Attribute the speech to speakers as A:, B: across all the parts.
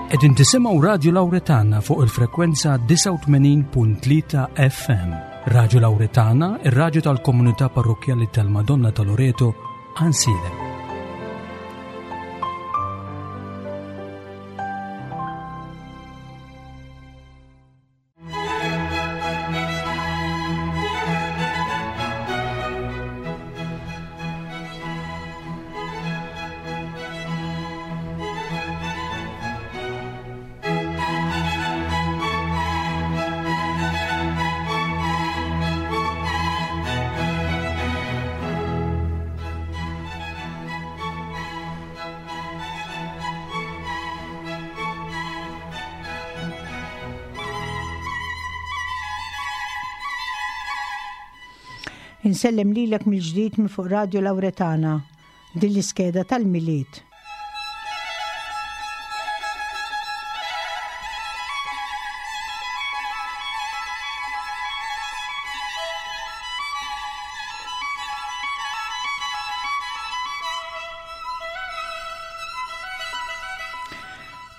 A: Qegħdin tisimgħu Radio Lauretana fuq il-frekwenza 89.3 FM. Radio Lauretana, ir-radju tal-komunità parrokkjali tal-Madonna ta' Loreto, Ansilem.
B: Insellem lilek mill-ġdid minn fuq Radio Lauretana, din l-iskeda tal-Milied.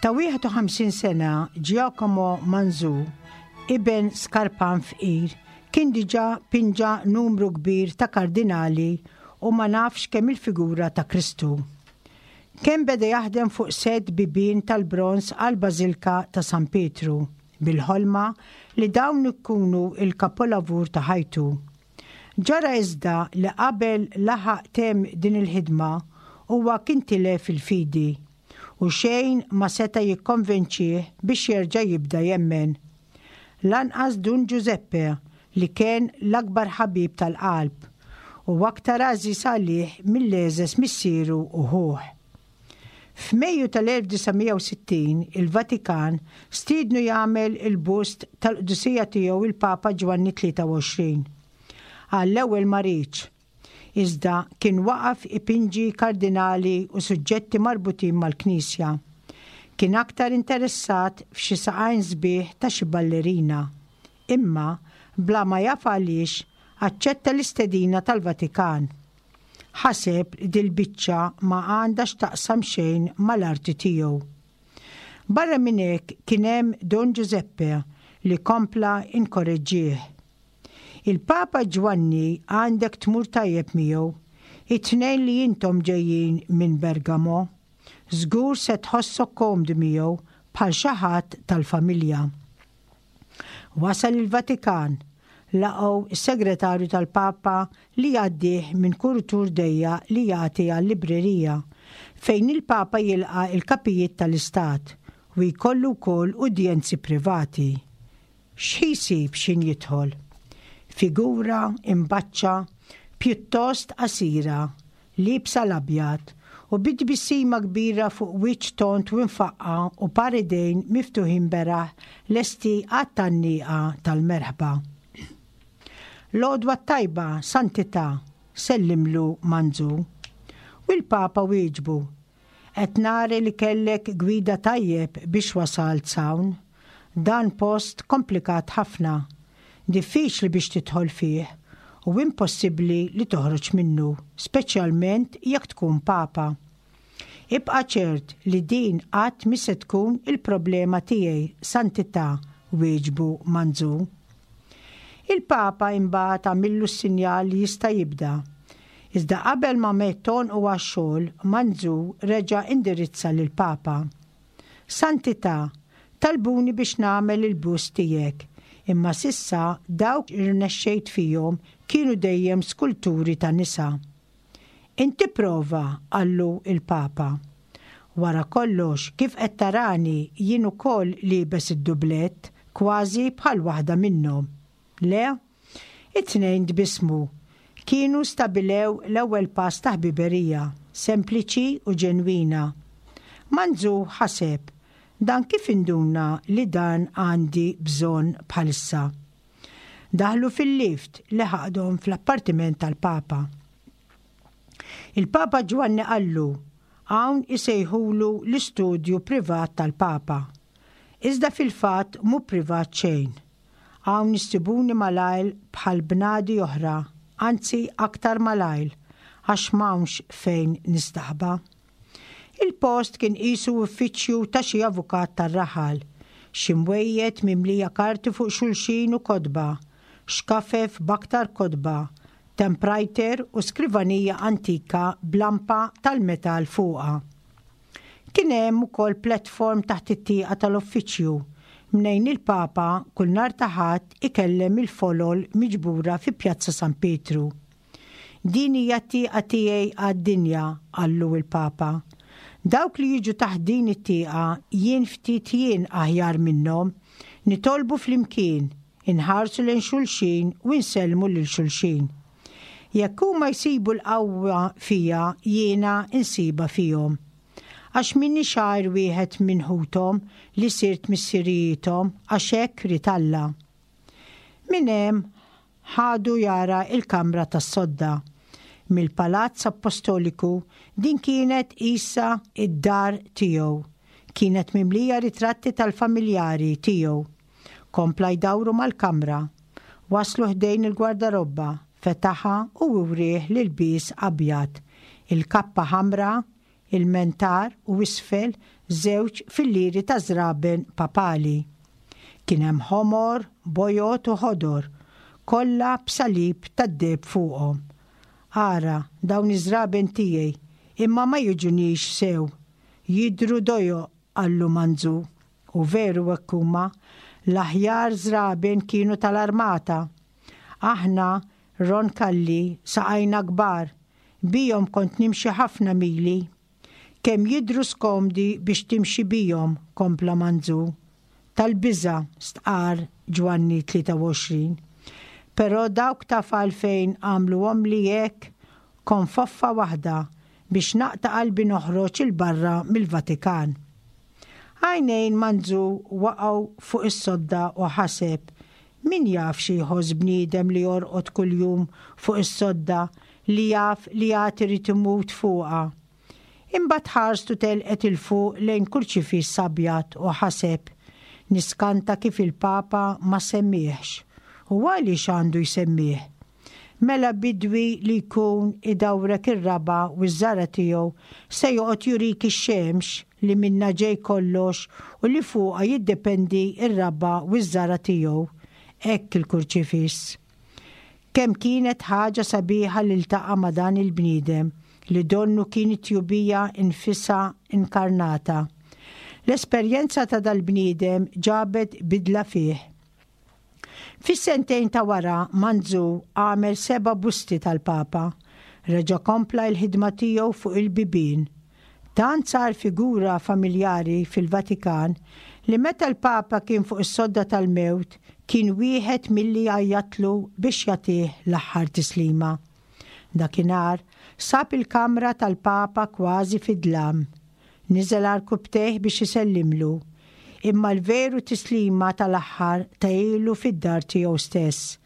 B: Ta' 51 sena, Giacomo Manzu, iben skarpan fqir, kien diġà pinġa numru kbir ta' kardinali u ma nafx kemm il-figura ta' Kristu. Kemm beda jaħdem fuq sett bibien tal-bronż għall-Bażilka ta' San Pietru, bil-ħolma li dawn ikunu l-kapolavur ta' ħajtu. Ġara iżda li qabel laħaq temm din il-ħidma, huwa kien tilef il-fidi, u xejn ma seta' jikkonvinċih biex jerġa' jibda jemmen. Lanqas Dun Giuseppe li kien l-akbar ħabib tal-qalb u aktar għażiż għalih mill-għeżeż missieru u ħuh. F'Mejju tal-1960 il-Vatikan stiednu jagħmel il-bust tal-Qdusija Tiegħu il-Papa Ġwanni 23. Għall-ewwel ma riedx. Iżda kien waqaf ipinġi kardinali u suġġetti marbutin mal-Knisja. Kien aktar interessat f'xi saqajn sbieħ ta' xi ballerina. Imma, bla ma jaf għaliex, aċċetta l-istedina tal-Vatikan. Ħaseb li dil-biċċa ma għandha x'taqsam xejn mal-arti tiegħu. Barra minn hekk kien hemm Don Giuseppe li kompla inkoreġġieh. Il-Papa Ġwanni għandek tmur tajjeb miegħu. It-tnejn li intom ġejjin minn Bergamo. Żgur se tħossok komdu miegħu bħal xi ħadd tal-familja. Wasal il-Vatikan, laqgħu s-segretarju tal-Papa li jgħaddih minn kuritur dejjaq li jagħti għal-librerija, fejn il-Papa jilqa' l-kapijiet tal-Istat u jkollu wkoll udjenzi privati. X'ħi jsib x'ħin jidħol? Figura imbaċċa, pjuttost qasira, liebsa l-abjad, u bi tbissima kbira fuq wiċċ tond u mfaqqa' u par idejn miftuħin beraħ lesti għat-tgħanniqa tal-merħba. L-għodwa t-tajba, Santità, sellimlu Manzu. U l-Papa wieġbu, Qed nari li kellek gwida tajjeb biex wasalt s'hawn. Dan post komplikat ħafna. Diffiċli biex tidħol fih u impossibbli li toħroġ minnu, speċjalment jekk tkun Papa. Ibqa' ċert li din qatt mhi se tkun il-problema tiegħi, Santità, wieġbu Manzu. Il-Papa imbagħad għamillu s-sinjal li jista' jibda. Iżda qabel ma medd għonqu għax-xogħol, Manzu reġa' indirizza lill-Papa. Santità, talbuni biex nagħmel il-bust tiegħek, imma s'issa dawk li rnexxejt fihom kienu dejjem skulturi ta' nisa. Inti prova, qallu l-Papa. Wara kollox, kif qed tarani jien ukoll liebes id-dublett, kważi bħal waħda minnhom. Le? It-tnejn tbissmu. Kienu stabilew l-ewwel pass ta' ħbiberija, sempliċi u ġenwina. Manzu ħaseb, Dan kif induna li dan għandi bżonn bħalissa? Daħlu fil-lift li ħadhom fl-appartiment tal-Papa. Il-Papa Ġwanni qallu, Hawn isejħulu l-istudju privat tal-Papa. Iżda fil-fatt mhu privat xejn. Hawn issibuni malajr bħal bnadi oħra, anzi aktar malajr, għax m'hawnx fejn nistaħba. Il-post kien qisu uffiċċju ta' xi avukat tar-raħal. Xi mwejjed mimlija karti fuq xulxin u kotba, xkafef b'aktar kotba, temprajter u skrivanija antika b'lampa tal-metall fuqha. Kien hemm ukoll platform taħt it-tieqa tal-uffiċċju, mnejn il-Papa kull nhar ta' Ħadd ikellem il-folol miġbura fi Pjazza San Pietru. Din hija t-tieqa tiegħi għad-dinja, qallu l-Papa. Dawk li jiġu taħt din it-tieqa jien ftit jien aħjar minnhom. Nitolbu flimkien, inħarsu lejn xulxin u nsellmu lil xulxin. Jekk huma jsibu l-qawwa fija jiena nsibha fihom. Għax m'iniex għajr wieħed minn ħuthom li sirt missirijiethom għax hekk ried Alla. Minn hemm ħadu jara l-kamra tas-sodda. Mill-Palazz Appostoliku din kienet qisha d-dar tiegħu. Kienet mimlija ritratti tal-familjari tiegħu. Kompla jdawru mal-kamra. Waslu ħdejn il-gwardarobba, fetaħha u wrieh l-ilbies abjad, il-kappa ħamra, il-mentar u isfel żewġ fillieri ta' żraben papali. Kien hemm ħomor, bojod u ħodor, kollha b'salib tad-deheb fuqhom. Ara, dawn iż-żraben tiegħi, imma ma jiġunix sew. Jidhru dojoq, qallu Manzu. U veru hekk huma. L-aħjar żraben kienu tal-armata. Aħna, Roncalli, saqajna kbar. Bihom kont nimxi ħafna mili. Kemm jidhru skomdi biex timxi bihom, kompla Manzu. Tal-biża', stqarr Ġwanni 23. Però dawk taf għalfejn għamluhomli hekk? Konfoffa waħda, biex naqta' qalbi noħroġ 'il barra mill-Vatikan. Għajnejn Manzu waqgħu fuq is-sodda u ħaseb, Min jaf xi jħoss bniedem li jorqod kuljum fuq is-sodda li jaf li għad irid imut fuqha. Imbagħad ħarstu telqet 'il fuq lejn kurċifiss abjad u ħaseb, Niskanta kif il-Papa ma semmiehx. U għaliex għandu jsemmieh? Mela bidwi li jkun idawrek ir-raba' u ż-żara' tiegħu se joqgħod jurik ix-xemx li minnha ġej kollox u li fuqha jiddependi r-raba' u ż-żara' tiegħu. Hekk il-Kurċifiss. Kemm kienet ħaġa sabiħa li ltaqa' ma' dan il-bniedem li donnu kien it-tjubija nfisha inkarnata. L-esperjenza ta' dal-bniedem ġabet bidla fih. Fis-sentejn ta' wara, Manzu għamel seba' busti tal-Papa. Reġa' kompla l-ħidma tiegħu fuq il-bibien. Tant sar figura familjari fil-Vatikan li meta l-Papa kien fuq is-sodda tal-mewt kien wieħed milli għajjatlu biex jagħtih l-aħħar tislima. Dakinhar, sab il-kamra tal-Papa kważi fid-dlam. Niżel għarkupptejh biex isellimlu. Imma l-veru tislima tal-aħħar tahielu fid-dar tiegħu stess,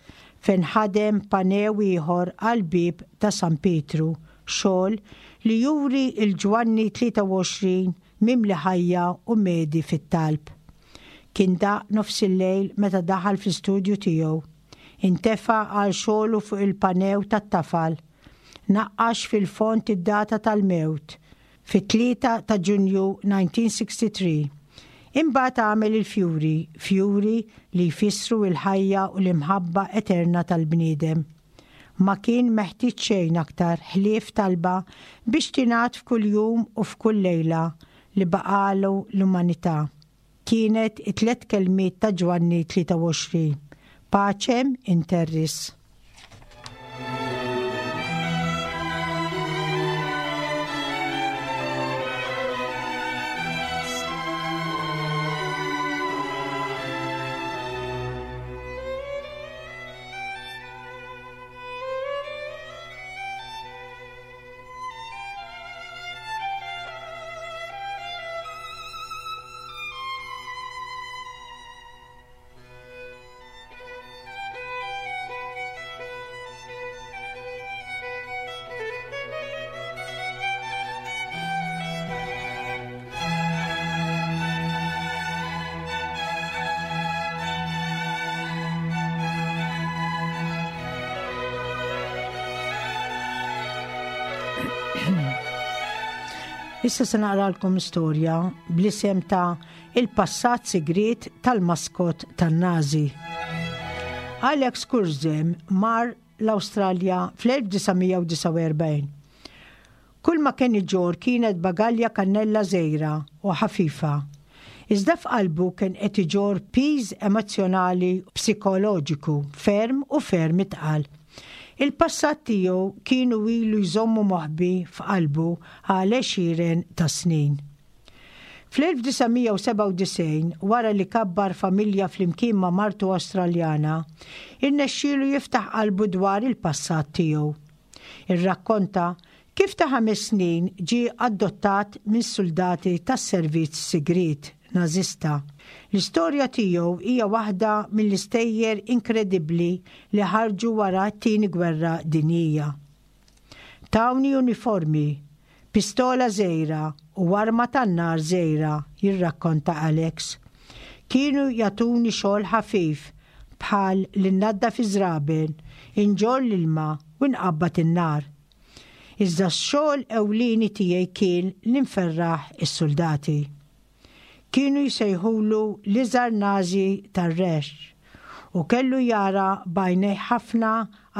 B: fejn ħadem panew ieħor għall-bieb ta' San Pietru, xogħol li juri 'l Ġwanni 23 mimli ħajja u medhi fit-talb. Kien daqq nofsillejl meta daħal fl-istudju tiegħu. Intefa' għal xogħlu fuq il-panew tat-tafal. Naqqax fil-fond id-data tal-mewt, fit-3 ta' Ġunju 1963. Imbagħad għamel il-fjuri, fjuri li jfissru l-ħajja u l-imħabba eterna tal-bniedem. Ma kien meħtieġ xejn aktar ħlief talba biex tingħad f'kull jum u f'kull lejla li baqagħlu l-umanità. Kienet it-tlett kelmiet ta' Ġwanni 23, Pacem in terris. Issa se naqralkom storja bl-isem ta' Il-passat sigriet tal-maskot tan-Nazi. Alex Kurzem mar l-Awstralja fl-1949. Kull ma kien iġorr kienet bagalja kannella żgħira u ħafifa. Iżda f'qalbu kien qed iġorr piż emozzjonali u psikoloġiku ferm u ferm itqal. Il-passat tiegħu kienu ilu jżommu moħbi f'qalbu għal għexieren ta' snin. Fl-1997, wara li kabbar familja flimkien ma' martu Awstraljana, irnexxielu jiftaħ qalbu dwar il-passat tiegħu. Irrakkonta kif ta' ħames snin ġie adottat minn suldati tas-servizz sigriet Nażista. L-istorja tiegħu hija waħda mill-istejjer inkredibbli li ħarġu wara t-Tieni Gwerra Dinjija. Tawni uniformi, pistola żgħira u arma tan-nar żgħira, jirrakkonta Alex. Kienu jagħtuni xogħol ħafif bħal li nnaddaf iż-żraben, inġorr l-ilma u nqabbad in-nar. Iżda x-xogħol ewlieni tiegħi kien li nferraħ is-suldati. Kienu jsejħulu l-iżgħar Nazi tar-Reich u kellu jara b'għajnejh ħafna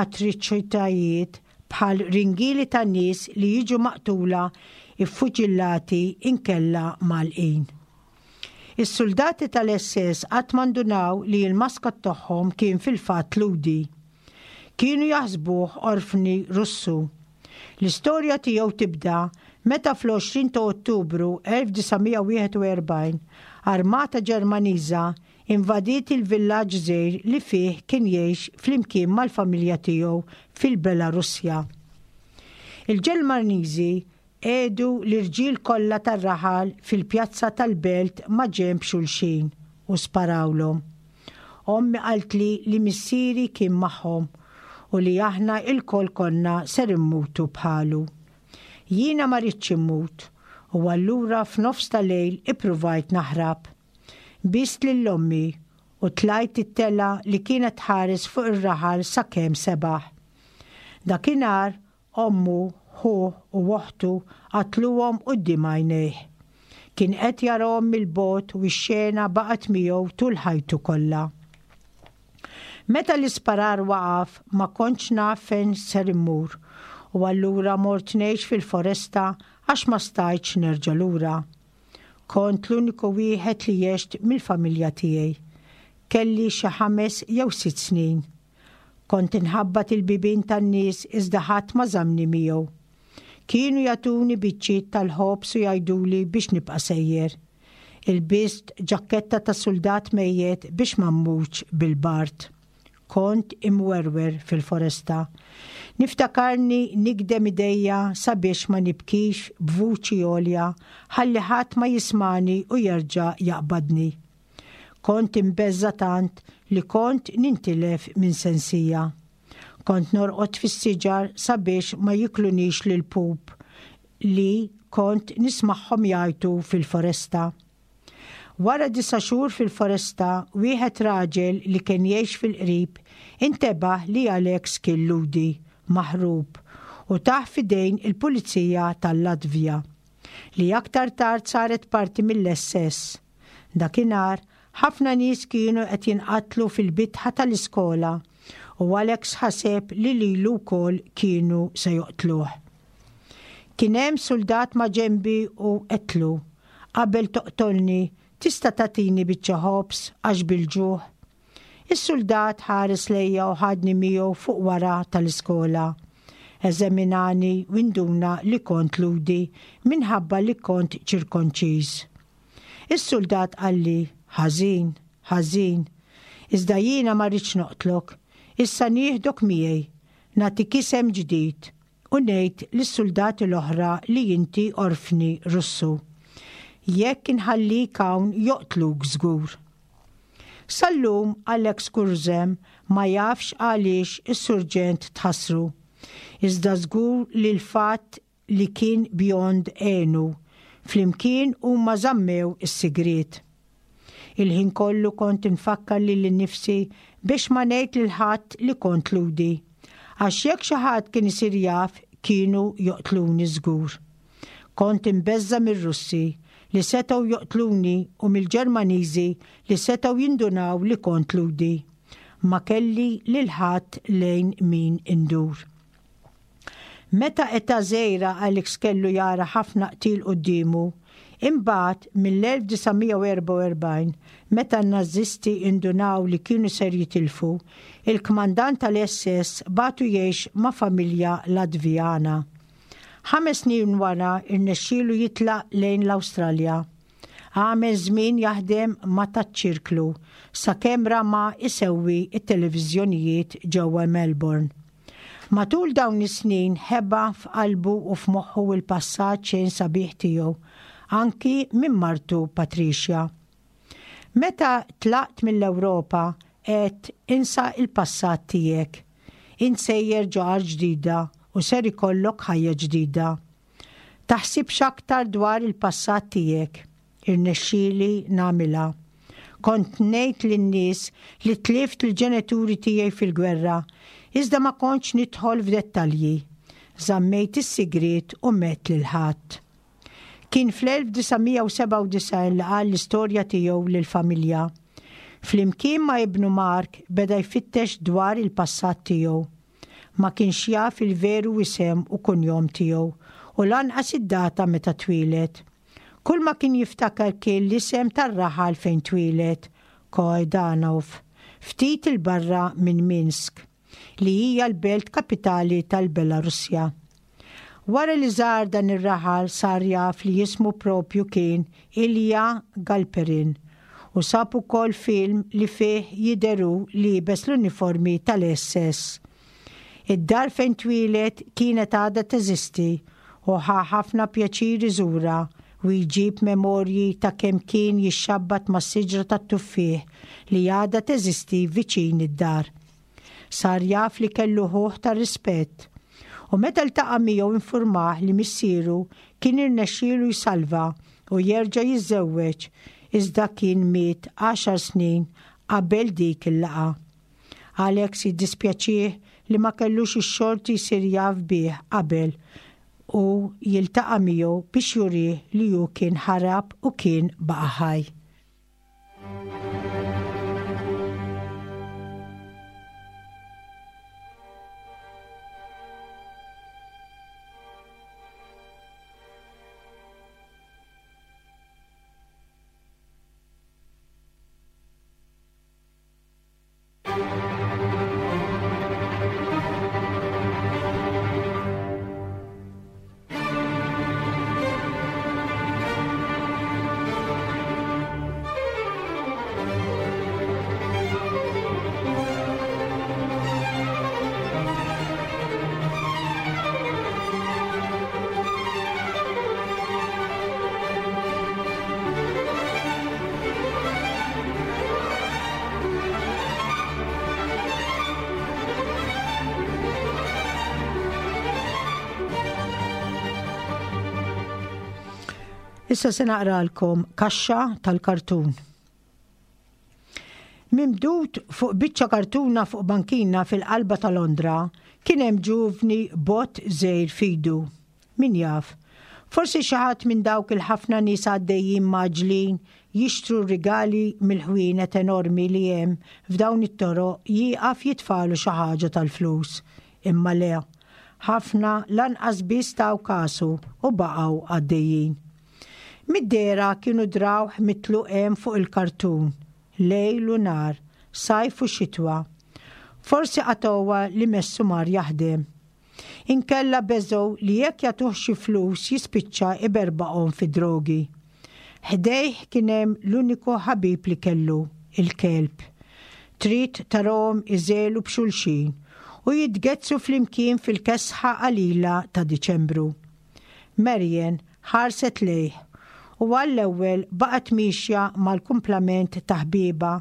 B: atriċitajiet bħal ringieli ta' nies li jiġu maqtula, iffuċillati inkella mgħallqin. Is-suldati tal-SS qatt ma ndunaw li l-maskot tagħhom kien fil-fatt Lhudi. Kienu jaħsbuh orfni Russu. L-istorja tiegħu tibda meta fl-20 ta' Ottubru 1941 armata Ġermaniża invadiet il-villaġġ żgħir li fih kien jgħix flimkien mal-familja tiegħu fil-Belarussja. Il-Ġermaniżi Qiegħdu l-irġiel kollha tar-raħal fil-pjazza tal-belt maġenb xulxin u sparawlhom. Ommi qaltli li missieri kien magħhom u li aħna ilkoll konna ser immutu bħalu. Jiena ma ridtx immut u allura f'nofs ta' lejl ippruvajt naħrab. Bist lil ommi u tlajt it-telgħa li kienet tħares fuq ir-raħal sakemm sebaħ. Dakinhar Ommu, ħuh u oħtu qatluhom quddiem għajnejh. Kien qed jarahom mill-bogħod u x-xena baqgħet miegħu tul ħajtu kollha. Meta l-isparar waqaf ma kontx naf fejn ser immur u allura mort ngħix fil-foresta għax ma stajtx nerġa' lura. Kont l-uniku wieħed li għext mill-familja tiegħi. Kelli xi ħames jew sitt snin. Kont inħabbat il-bibien tan-nies iżda ħadd ma żammni miegħu. Kienu jagħtuni biċċiet tal-ħobż u jgħiduli biex nibqa' sejjer. Ilbist ġakketta ta' suldat mejjet biex ma mmutx bil-bard. Kont imwerwer fil-foresta. Niftakarni nigdem idejja sabiex ma nibkix b'vuċi għolja ħalli ħadd ma jismagħni u jerġa' jaqbadni. Kont imbeżża' tant li kont nintilef minn sensija. Kont norqod fis-siġar sabiex ma jiklunix l-ilpup li kont nismagħhom jgħajtu fil-foresta. Wara disa' xhur fil-foresta, wieħed raġel li kien jgħix fil-qrib intebaħ li Alex kien Lhudi maħrub u tah f'idejn il-pulizija tal-Latvja, li aktar tard saret parti mill-SS. Dakinhar, ħafna nies kienu qed jinqatlu fil-bitħa tal-iskola u Alex ħaseb li lilu wkoll kienu se joqtluh. Kien hemm suldat maġenbi u għedtlu, Qabel toqtolni, tista' tagħtini biċċa ħobż għax bil-ġuħ? Is-suldat ħares lejja u ħadni miegħu fuq wara tal-iskola. Eżaminani u induna li kont Lhudi minħabba li kont ċirkonċiż. Is-suldat qalli, Ħażin, ħażin. Iżda jiena ma rridx noqtlok. Issa nieħdok miegħi, nagħtik isem ġdid u ngħid lis-suldati l-oħra li inti orfni Russu. Jekk inħallik hawn joqtluk żgur. Sal-lum Alex Kurzem ma jafx għaliex is-surġent tħassru. Iżda żgur li l-fatt li kien bjond għenu. Flimkien huma żammew is-sigriet. Il-ħin kollu kont infakkar lili nnifsi biex ma ngħid lil ħadd li kont Lhudi. Għax jekk xi ħadd kien isir jaf kienu joqtluni żgur. Kont imbeżża' mir-Russi li setgħu joqtluni u mill-Ġermaniżi li setgħu jindunaw li kont Lhudi. Ma kelli lil ħadd lejn min indur. Meta età żgħira Alex kellu jara ħafna qtil quddiemu. Imbagħad, mill-1944, meta n-Nażisti indunaw li kienu ser jitilfu, il-kmandant tal-SS bagħtu jgħix ma' familja Latvijana. Ħames snin wara rnexxielu jitlaq lejn l-Awstralja. Għamel żmien jaħdem ma' taċ-ċirklu sakemm rama jsewwi t-televiżjonijiet ġewwa Melbourne. Matul dawn is-snin ħeba f'qalbu u f'moħħu l-passat xejn sabiħ tiegħu, anki minn martu Patricia. Meta tlaqt mill-Ewropa għedt insa l-passat tiegħek. Int sejjer ġo art ġdida u ser ikollok ħajja ġdida. Taħsibx aktar dwar il-passat tiegħek. Irnexxieli nagħmilha. Kont ngħid lin-nies li tlift lill-ġenituri tiegħi fil-gwerra, iżda ma kontx nidħol f'dettalji. Żammejt is-sigriet u m'għedt lil ħadd. Kien fl-1997 li qal l-istorja tiegħu lill-familja. Flimkien ma' ibnu Mark beda jfittex dwar il-passat tiegħu. Ma kienx jaf il-veru isem u kunjom tiegħu u lanqas id-data meta twieled. Kulma kien jiftakar kien l-isem tar-raħal fejn twieled, Koedanov, ftit 'il barra minn Minsk, li hija l-belt kapitali tal-Belarussja. Wara li żar dan ir-raħal sar jaf li ismu proprju kien Ilya Galperin u sab ukoll film li fih jidher hu liebes l-uniformi tal-SS. Id-dar fejn twieled kienet għadha teżisti u ħa ħafna pjaċir iżurha u jġib memorji ta' kemm kien jixxabbat mas-siġra tat-tuffieħ li għadha teżisti viċin id-dar. Sar jaf li kellu ħuh ta' rispett u meta ltaqa' miegħu infurmah li missieru kien irnexxielu jsalva u jerġa' jiżżewweġ iżda kien miet għaxar snin qabel dik il-laqgħa. Alex jiddispjaċih li ma kellux ix-xorti jsir jaf bih qabel u jiltaqa' miegħu biex jurih li hu kien ħarab u kien baqa' ħaj. Issa se naqralkom kaxxa tal-kartun. Mimdud fuq biċċa kartuna fuq bankina fil-qalba ta' Londra kien hemm ġuvni bot żgħir f'idu. Min jaf, forsi xi ħadd minn dawk il-ħafna nies għaddejjin mgħaġġlin jixtru r-rigali mill-ħwienet enormi li hemm f'dawn it-toroq jieqaf jitfagħlu xi ħaġa tal-flus. Imma le, ħafna lanqas biss taw kasu u baqgħu għaddejjin. Mid-dehra kienu drawh mitluq hemm fuq il-kartun, lejl u nhar, sajf u xitwa. Forsi qatgħuha li messu mar jaħdem. Inkella beżgħu li jekk jagħtuh xi flus jispiċċa iberbaqhom fid-drogi. Ħdejh kien hemm l-uniku ħabib li kellu, il-kelb. Trid tarahom iżegħlu b'xulxin u jitgezzsu flimkien fil-kesħa qalila ta' Diċembru. Marian ħarset lejh u għall-ewwel baqgħet miexja mal-kumplament ta' ħbiebha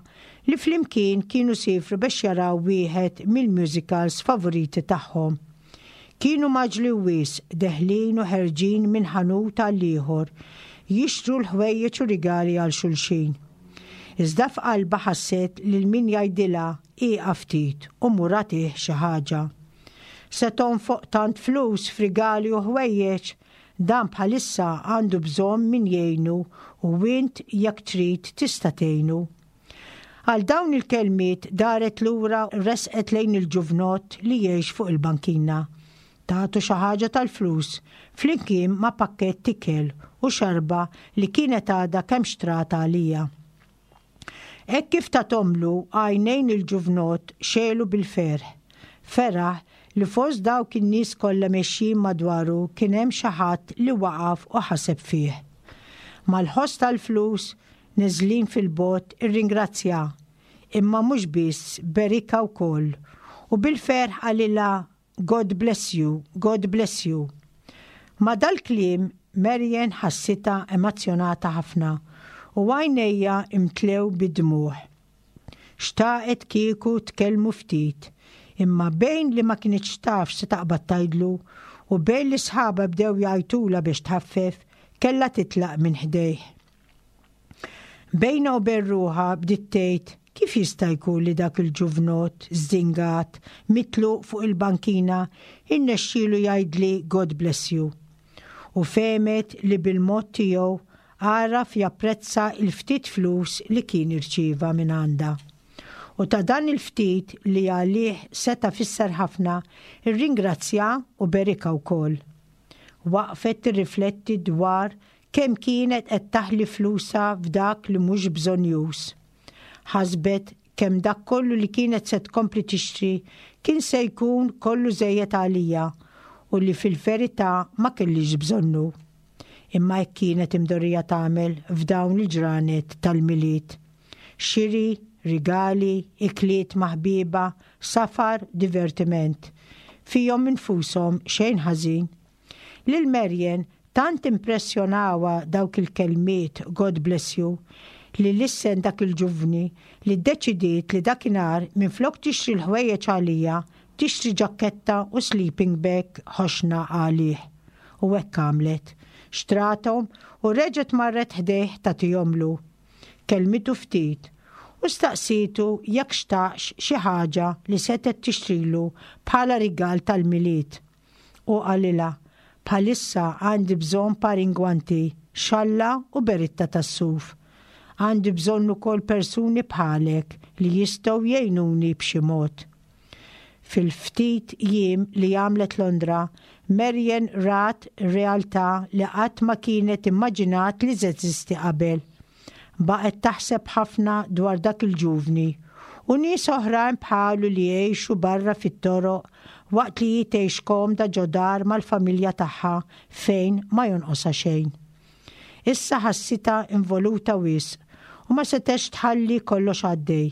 B: li flimkien kienu siefru bex jaraw wieħed mill-musicals favoriti tagħhom. Kienu mgħaġġlin wisq, deħlin u ħerġin minn ħanut għal ieħor, jixtru l-ħwejjeġ u rigali għal xulxin. Iżda f'qalbha ħasset lil min jgħidilha ieqaf ftit u mur agħtih xi ħaġa. Se tonfoq tant flus f'rigali u ħwejjeġ? Dan bħalissa għandu bżonn min jgħinu u int jekk trid tista' tgħinu. Għal dawn il-kelmiet daret lura u resqet lejn il-ġuvnott li jgħix fuq il-bankina. Tatu xi ħaġa tal-flus flimkien ma' pakkett ikel u xarba li kienet għadha kemm xtrat għalija. Hekk kif tathomlu, għajnejn il-ġuvnott xegħlu bil-ferħ. Feraħ li fost dawk in-nies kollha mexjin madwaru kien hemm xi ħadd li waqaf u ħaseb fih. Mal-ħoss tal-flus neżlin fil-bogħod irringrazzja, imma mhux biss, berikha wkoll u bil-ferħ qalilha God bless you, God bless you. Ma' dal-kliem Marian ħassitha emazzjonata ħafna u għajnejha imtlew bid-dmugħ. Xtaqet kieku tkellmu ftit, imma bejn li ma kinitx taf x'se taqbad tgħidlu u bejn li sħabha bdew jgħajtulha biex tħaffef, kellha titlaq minn ħdejh. Bejnha u bejn ruħha bdiet tgħid kif jista' jkun li dak il-ġuvnott żdingat, mitluq fuq il-bankina, irnexxielu jgħidli God bless you. U fehmet li bil-mod tiegħu għaraf japprezza l-ftit flus li kien irċieva mingħandha. U ta' dan il-ftit li għalih seta' fisser ħafna, irringrazzja u berikha wkoll. Waqfet tirrifletti dwar kemm kienet qed taħli flusha f'dak li mhux bżonnjuż. Ħasbet kemm dak kollu li kienet se tkompli tixtri kien se jkun kollu żejjed għalija u li fil-verità ma kellhiex bżonnu. Imma hekk kienet imdorrija tagħmel f'dawn il-ġranet tal-Milied. Xiri, rigali, ikliet ma' ħbiebha, safar, divertiment. Fihom infushom xejn ħażin. Lil Marian tant impressjonawha dawk il-kelmiet God bless you li lissen dak il-ġuvni li ddeċidiet li dakinhar minflok tixtri l-ħwejjeġ għaliha tixtri ġakketta u sleeping bag ħoxna għalih. U hekk għamlet. Xtrathom u reġgħet marret ħdejh tagħtihomlu. Kellmitu ftit u staqsietu jekk xtaqx xi ħaġa li setgħet tixtrilu bħala rigal tal-Milied. Hu qalilha, Bħalissa għandi bżonn par ingwanti, xalla u beritta tas-suf. Għandi bżonn ukoll persuni bħalek li jistgħu jgħinuni b'xi mod. Fil-ftit jiem li għamlet Londra, Marian rat realtà li qatt ma kienet immaġinat li teżisti qabel. Baqgħet taħseb ħafna dwar dak il-ġuvni u nies oħrajn bħalu li jgħixu barra fit-toroq waqt li hi tgħix komda ġo dar mal-familja tagħha fejn ma jonqosha xejn. Issa ħassitha involuta wisq u ma setgħetx tħalli kollox għaddej.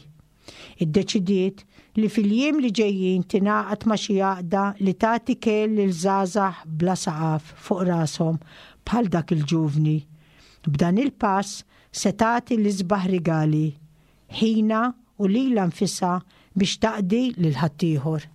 B: Iddeċidiet li fil-jiem li ġejjin tingħaqad ma' xi għaqda li tagħti kell lil żgħażagħ bla saqaf fuq rashom bħal dak il-ġuvni. B'dan il-pass se tagħti l-isbaħ rigali, ħinha u lilha nfisha biex taqdi lil ħaddieħor.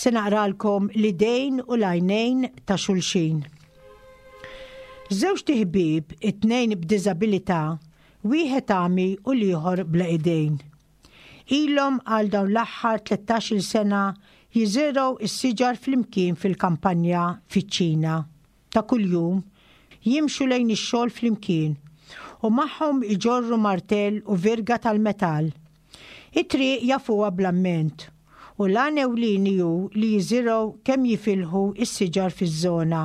B: Se naqralkom l-idejn u l-għajnejn ta' xulxin. Żewġt iħbieb, it-tnejn b'diżabilità, wieħed għami u l-ieħor bla idejn. Ilhom għal dawn l-aħħar 13-il sena jiżirgħu s-siġar flimkien fil-kampanja fiċ-Ċina. Ta' kuljum, jimxu lejn ix-xogħol flimkien u magħhom iġorru martell u virga tal-metall. It-triq jafuha bl-amment u l-għan ewlieni hu li jiżirgħu kemm jifilħu s-siġar fiż-żona.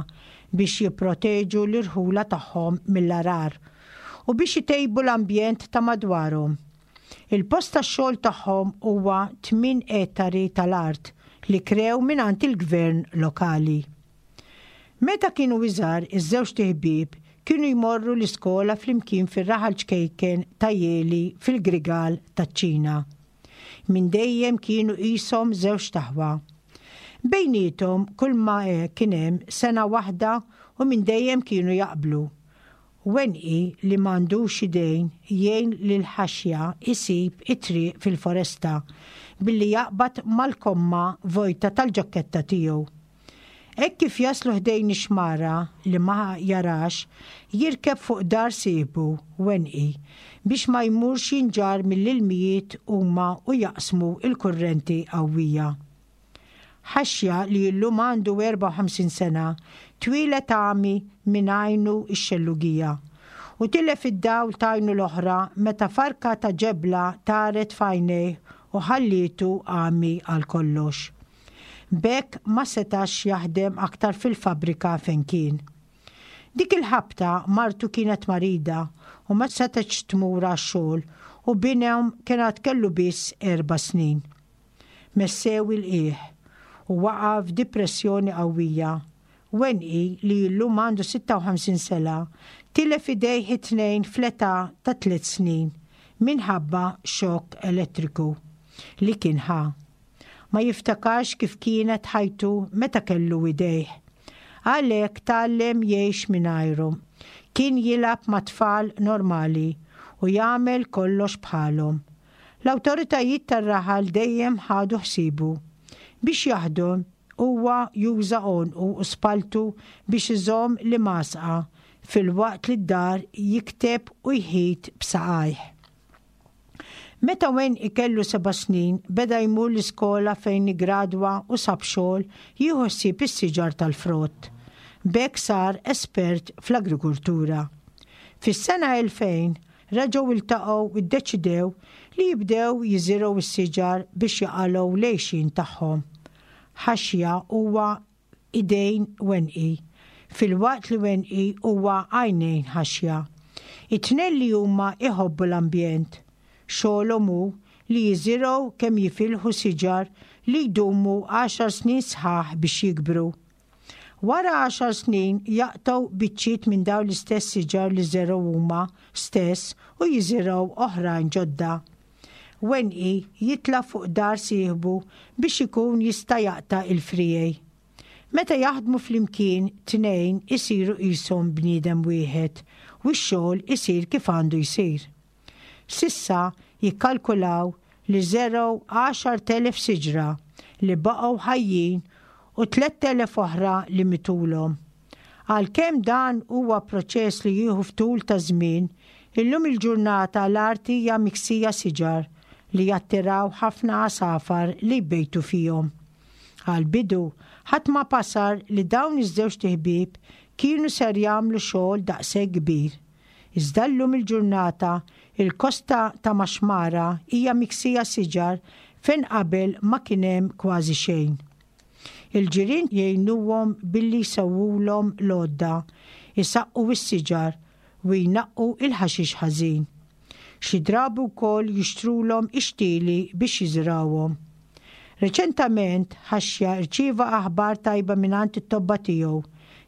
B: biex jipproteġu l-irħula tagħhom mill-għarar u biex itejbu l-ambjent ta' madwarhom. Il-post tax-xogħol tagħhom huwa tminn ettari tal-art li krew mingħand il-gvern lokali. Meta kienu iżgħar iż-żewġt iħbieb kienu jmorru l-iskola flimkien fir-raħal ċkejken ta' Yeli fil-Grigal taċ-Ċina. Minn dejjem kienu qishom żewġt aħwa. Bejniethom kulma kien hemm sena waħda u minn dejjem kienu jaqblu. Wenqi li m'għandux idejn jgħin lil Ħaxja jsib it-triq fil-foresta billi jaqbad mal-komma vojta tal-ġakketta tiegħu. Hekk kif jaslu ħdejn ix-xmara li ma jarax, jirkeb fuq dar sieħbu, Wenqi, biex ma jmurx jinġarr mill-ilmijiet huma u jaqsmu l-kurrenti qawwija. Ħaxja, li llum għandu 54 sena, twieled għami minn għajnu x-xellugija u tilef id-dawl t'għajnu l-oħra meta farka ta' ġebla taret f'għajnejh u ħallietu għami għal kollox. B'hekk ma setax jaħdem aktar fil-fabbrika fejn kien. Dik il-ħabta martu kienet marida u ma setgħetx tmur għax-xogħol u binhom kien għad kellu biss erba' snin. Messew il-qiegħ u waqa' f'dipressjoni qawwija. Wenqi, li llum għandu 56 sena, tilef idejh it-tnejn fl-età ta' tliet snin minħabba xokk elettriku li kien ħa. Ma jiftakarx kif kienet ħajtu meta kellu idejh. Għalhekk tgħallem jgħix mingħajrhom. Kien jilgħab ma' tfal normali u jagħmel kollox bħalhom. L-awtoritajiet tar-raħal dejjem ħadu ħsiebu. Biex jaħdem, huwa juża għonqu u spalltu biex iżomm l-imgħasqa filwaqt li d-dar jikteb u jħit b'saqajh. Meta Wayne ikellu seba' snin, beda jmur l-iskola fejn iggradwa u sab xogħol jieħu ħsieb is-siġar tal-frott. B'hekk sar espert fl-agrikultura. Fis-sena 2000, reġgħu ltaqgħu u ddeċidew li jibdew jiżirgħu s-siġar biex jaqalgħu l-għixien tagħhom. Ħaxja huwa idejn Wenqi, filwaqt li Wenqi huwa għajnejn Ħaxja. It-tnejn li huma jħobbu l-ambjent. Xogħolhom hu li jiżirgħu kemm jifilħu siġar li jdumu għaxar snin sħaħ biex jikbru. Wara għaxar snin jaqtgħu biċċiet minn dawn l-istess siġar li żergħu huma stess u jiżirgħu oħrajn ġodda. Wenqi jitla' fuq dar sieħbu biex ikun jista' jaqta' l-friegħi. Meta jaħdmu flimkien tnejn isiru qishom bniedem wieħed u x-xogħol isir kif għandu jsir. S'issa jikkalkulaw li żergħu 10,000 siġra li baqgħu ħajjin u 3,000 oħra li mitulhom. Għalkemm dan huwa proċess li jieħu f'tul ta' żmien, illum il-ġurnata l-art hija miksija siġar li jattiraw ħafna għasafar li jbejtu fihom. Għall-bidu, ħadd ma basar li dawn iż-żewġt iħbieb kienu ser jagħmlu xogħol daqshekk kbir. Iżda llum il-ġurnata, il-kosta ta' Maxmara hija miksija siġar fejn qabel ma kien hemm kważi xejn. Il-ġirien jgħinuhom billi jsewwulhom l-għodda, isaqqu s-siġar u jnaqqu l-ħaxix ħażin. Xi drabi wkoll jixtrulhom ix-xtieli biex jiżrgħuhom. Reċentament, Ħaxja rċieva aħbar tajba mingħand it-tobba tiegħu,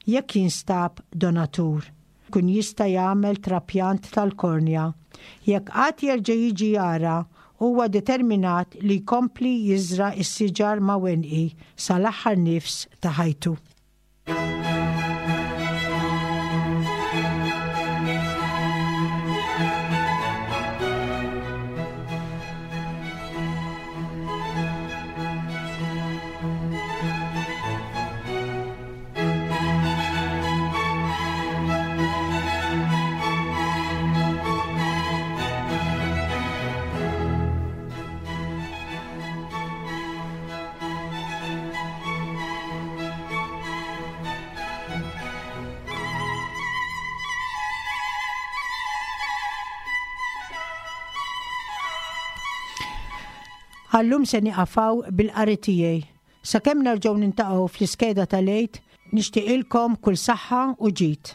B: jekk jinstab donatur. jkun jista' jagħmel trapjant tal-kornja. Jekk qatt jerġa' jiġi jara, huwa determinat li jkompli jiżra' s-siġar ma' Wenqi sal-aħħar nifs ta' ħajtu. Għallum se niqafaw bil-qari tiegħi. Sakemm nerġgħu nintaqgħu fl-iskeda tal-Għid. Nixtieqilkom kull saħħa u ġid.